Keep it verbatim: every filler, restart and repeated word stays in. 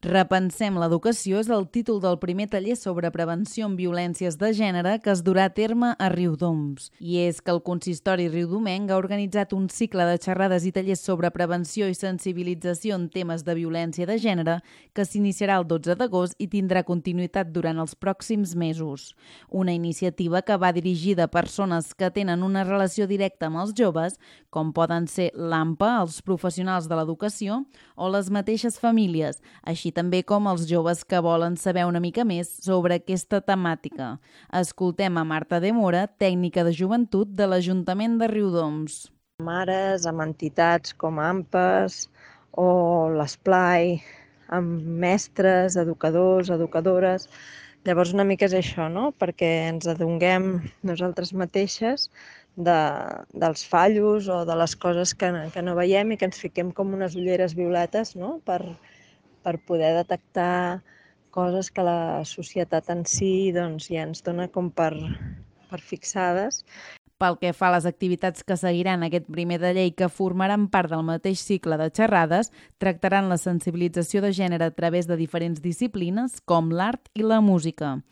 Repensem l'educació és el títol del primer taller sobre prevenció en violències de gènere que es durà a terme a Riudoms. I és que el Consistori riudomenc ha organitzat un cicle de xerrades i tallers sobre prevenció i sensibilització en temes de violència de gènere que s'iniciarà el dotze d'agost i tindrà continuïtat durant els pròxims mesos. Una iniciativa que va dirigida a persones que tenen una relació directa amb els joves, com poden ser l'A M P A, els professionals de l'educació o les mateixes famílies, així també com els joves que volen saber una mica més sobre aquesta temàtica. Escoltem a Marta de Mora, tècnica de joventut de l'Ajuntament de Riudoms. Mares amb entitats com A M P As o l'Esplai, amb mestres, educadors, educadores. Llavors una mica és això, no? Perquè ens adonguem nosaltres mateixes de, dels fallos o de les coses que, que no veiem i que ens fiquem com unes ulleres violetes, no? per, per poder detectar coses que la societat en si doncs, ja ens dona com per, per fixades. Pel que fa a les activitats que seguiran aquest primer taller i que formaran part del mateix cicle de xerrades, tractaran la sensibilització de gènere a través de diferents disciplines com l'art i la música.